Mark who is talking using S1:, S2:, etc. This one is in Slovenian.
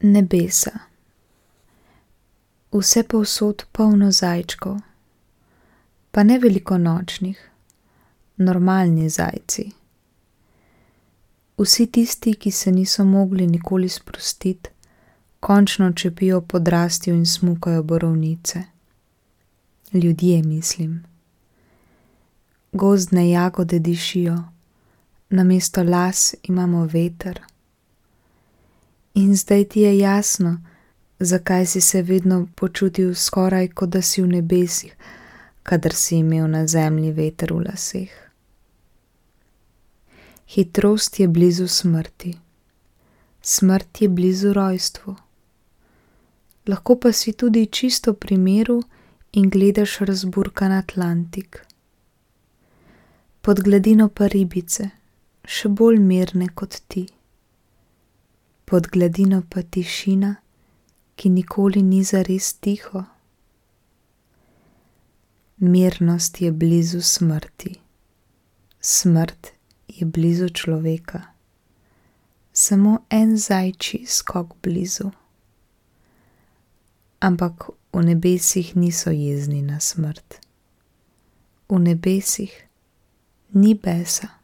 S1: Nebesa. Vse povsod polno zajčkov, pa ne velikonočnih, normalni zajci. Vsi tisti, ki se niso mogli nikoli sprostiti, končno čepijo podrastjo in smukajo borovnice. Ljudje, mislim. Gozdne jagode dišijo, namesto las imamo veter. In zdaj ti je jasno, zakaj si se vedno počutil skoraj, kot da si v nebesih, kadar si imel na zemlji veter v laseh. Hitrost je blizu smrti. Smrt je blizu rojstvu. Lahko pa si tudi čisto pri miru in gledaš razburkan Atlantik. Pod gladino pa ribice, še bolj mirne kot ti. Pod gladino pa tišina, ki nikoli ni zares tiho. Mirnost je blizu smrti. Smrt je blizu človeka. Samo en zajčji skok blizu. Ampak v nebesih niso jezni na smrt. V nebesih ni besa.